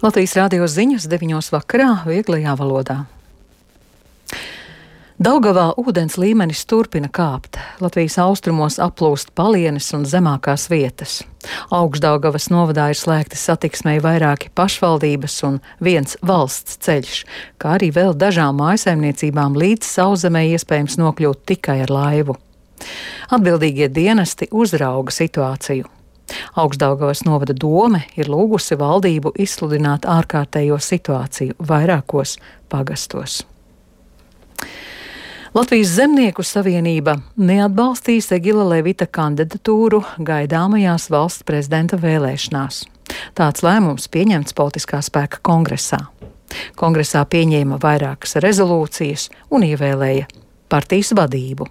Latvijas rādio ziņas 9 vakarā vieglajā valodā. Daugavā ūdens līmenis turpina kāpt. Latvijas austrumos aplūst palienes un zemākās vietas. Augšdaugavas novadā ir slēgti satiksmei vairāki pašvaldības un viens valsts ceļš, kā arī vēl dažām mājsaimniecībām līdz sauszemē iespējams nokļūt tikai ar laivu. Atbildīgie dienesti uzrauga situāciju. Augšdaugavas novada dome ir lūgusi valdību izsludināt ārkārtējo situāciju vairākos pagastos. Latvijas Zemnieku savienība neatbalstīs Egila Levita kandidatūru gaidāmajās valsts prezidenta vēlēšanās. Tāds lēmums pieņemts politiskā spēka kongresā. Kongresā pieņēma vairākas rezolūcijas un ievēlēja partijas vadību.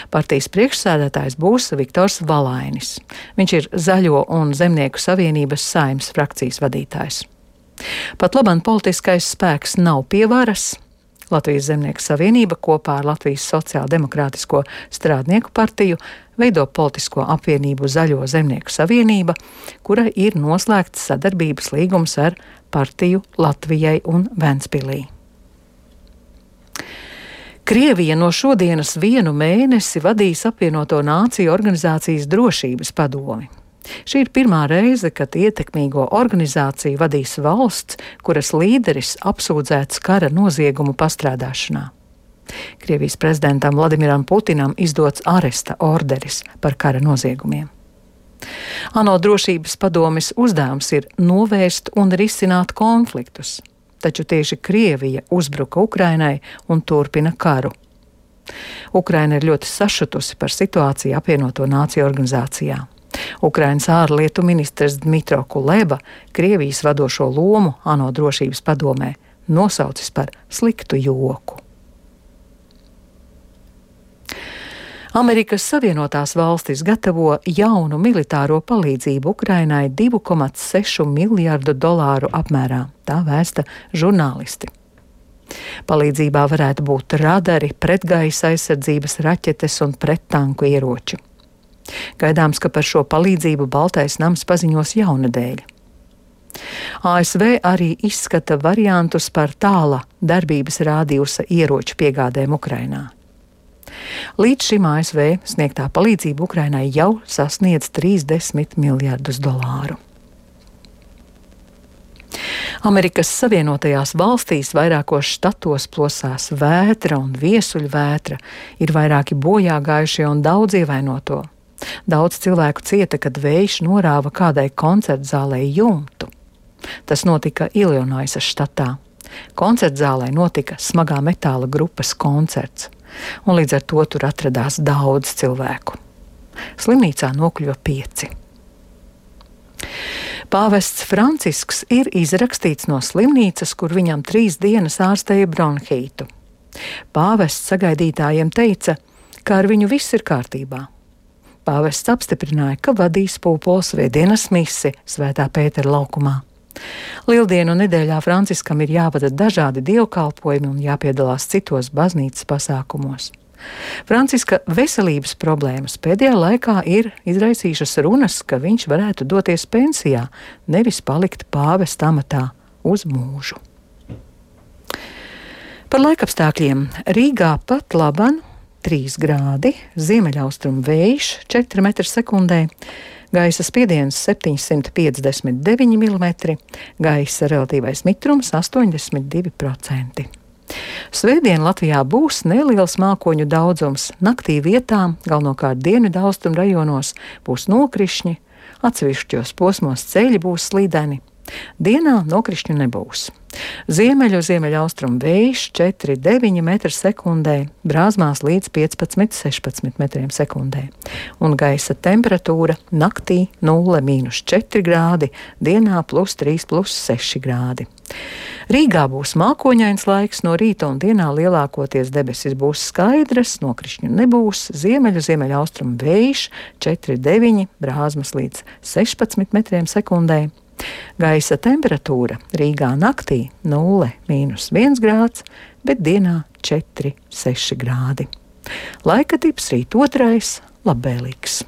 Partijas priekšsēdētājs būs Viktors Valainis. Viņš ir Zaļo un Zemnieku savienības Saeimas frakcijas vadītājs. Pat labam politiskais spēks nav pie varas. Latvijas Zemnieku savienība kopā ar Latvijas Sociāldemokrātisko strādnieku partiju veido politisko apvienību Zaļo Zemnieku savienība, kura ir noslēgts sadarbības līgums ar partiju Latvijai un Ventspilī. Krievija no šodienas 1 mēnesi vadīs Apvienoto Nāciju organizācijas drošības padomi. Šī ir pirmā reize, kad ietekmīgo organizāciju vadīs valsts, kuras līderis apsūdzēts kara noziegumu pastrādāšanā. Krievijas prezidentam Vladimiram Putinam izdots aresta orderis par kara noziegumiem. ANO drošības padomes uzdevums ir novērst un risināt konfliktus, taču tieši Krievija uzbruka Ukrainai un turpina karu. Ukraina ir ļoti sašutusi par situāciju Apvienoto Nāciju organizācijā. Ukrainas ārlietu ministrs Dmitro Kuleba Krievijas vadošo lomu ANO drošības padomē nosaucis par sliktu joku. Amerikas Savienotās valstis gatavo jaunu militāro palīdzību Ukrainai $2,6 miljardu apmērā, tā vēsta žurnālisti. Palīdzībā varētu būt radari, pretgaisa aizsardzības raķetes un prettanku ieroči. Gaidāms, ka par šo palīdzību Baltais nams paziņos jaunadēļ. ASV arī izskata variantus par tāla darbības rādījusa ieroču piegādēm Ukrainā. Līdz šim ASV sniegtā palīdzība Ukrainai jau sasniedz $30 miljardus. Amerikas Savienotajās valstīs vairākos štatos plosās vētra un viesuļvētra, ir vairāki bojā gājušie un daudz ievainoto. Daudz cilvēku cieta, kad vējš norāva kādai koncertzālei jumtu. Tas notika Ilinoisas štatā. Koncertzālē notika smagā metāla grupas koncerts, un līdz ar to tur atradās daudz cilvēku. Slimnīcā nokļuva 5. Pāvests Francisks ir izrakstīts no slimnīcas, kur viņam 3 dienas ārstēja bronhītu. Pāvests sagaidītājiem teica, ka ar viņu viss ir kārtībā. Pāvests apstiprināja, ka vadīs pūpoles svētdienas misi Svētā Pētera laukumā. Lieldienu nedēļā Franciskam ir jāvada dažādi dievkalpojumi un jāpiedalās citos baznīcas pasākumos. Franciska veselības problēmas pēdējā laikā ir izraisījušas runas, ka viņš varētu doties pensijā, nevis palikt pāvesta amatā uz mūžu. Par laikapstākļiem Rīgā pat laban 3 grādi, ziemeļaustrumu vējš 4 m/sekundē, gaisa spiediens 759 mm, gaisa relatīvais mitrums 82%. Svētdien Latvijā būs neliels mākoņu daudzums, naktī vietām, galvenokārt dienvidaustrumu rajonos, būs nokrišņi, atsevišķos posmos ceļi būs slīdeni. Dienā nokrišņu nebūs. Ziemeļaustrumu vējš 4,9 m/sekundē, brāzmās līdz 15-16 m/sekundē. Un gaisa temperatūra naktī 0–4 grādi, dienā +3–6 grādi. Rīgā būs mākoņains laiks, no rīta un dienā lielākoties debesis būs skaidras, nokrišņu nebūs, ziemeļaustrumu vējš 4,9, brāzmas līdz 16 m/sekundē. Gaisa temperatūra Rīgā naktī 0–1 grāds, bet dienā 4–6 grādi. Laika tips rīt 2. labvēlīgs.